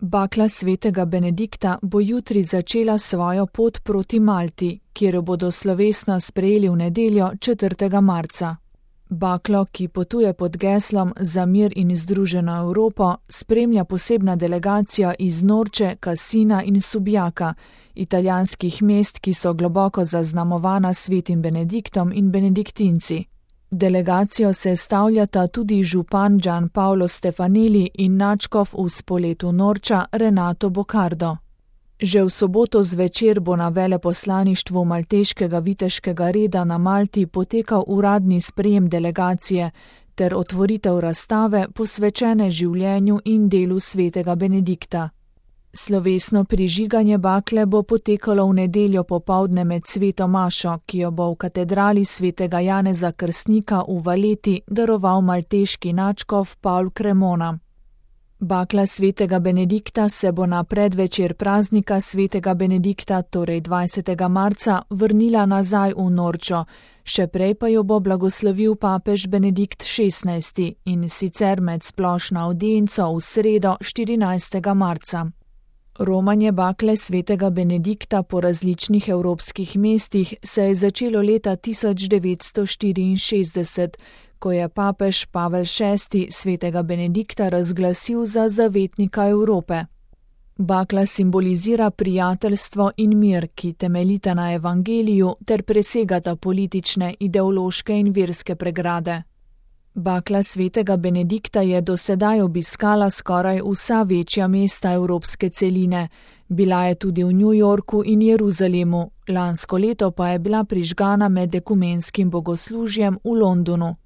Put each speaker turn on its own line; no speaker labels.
Bakla svetega Benedikta bo jutri začela svojo pot proti Malti, kjer jo bodo slovesno sprejeli v nedeljo 4. marca. Baklo, ki potuje pod geslom Za mir in združeno Evropo, spremlja posebna delegacija iz Norče, Cassina in Subjaka, italijanskih mest, ki so globoko zaznamovana svetim Benediktom in benediktinci. Delegacijo sestavljata tudi župan Gian Paolo Stefanelli in nadškof v Spoletu Norča Renato Boccardo. Že v soboto zvečer bo na veleposlaništvu malteškega viteškega reda na Malti potekal uradni sprejem delegacije ter otvoritev razstave posvečene življenju in delu svetega Benedikta. Slovesno prižiganje bakle bo potekalo v nedeljo popoldne med sveto mašo, ki jo bo v katedrali svetega Janeza Krstnika v Valeti daroval malteški nadškof Paul Cremona. Bakla svetega Benedikta se bo na predvečer praznika svetega Benedikta, torej 20. marca, vrnila nazaj v Norčo, še prej pa jo bo blagoslovil papež Benedikt XVI in sicer med splošno avdienco v sredo 14. marca. Romanje bakle svetega Benedikta po različnih evropskih mestih se je začelo leta 1964, ko je papež Pavel VI svetega Benedikta razglasil za zavetnika Evrope. Bakla simbolizira prijateljstvo in mir, ki temeljita na evangeliju ter presegata politične, ideološke in verske pregrade. Bakla svetega Benedikta je do sedaj obiskala skoraj vsa večja mesta evropske celine, bila je tudi v New Yorku in Jeruzalemu, lansko leto pa je bila prižgana med ekumenskim bogoslužjem v Londonu.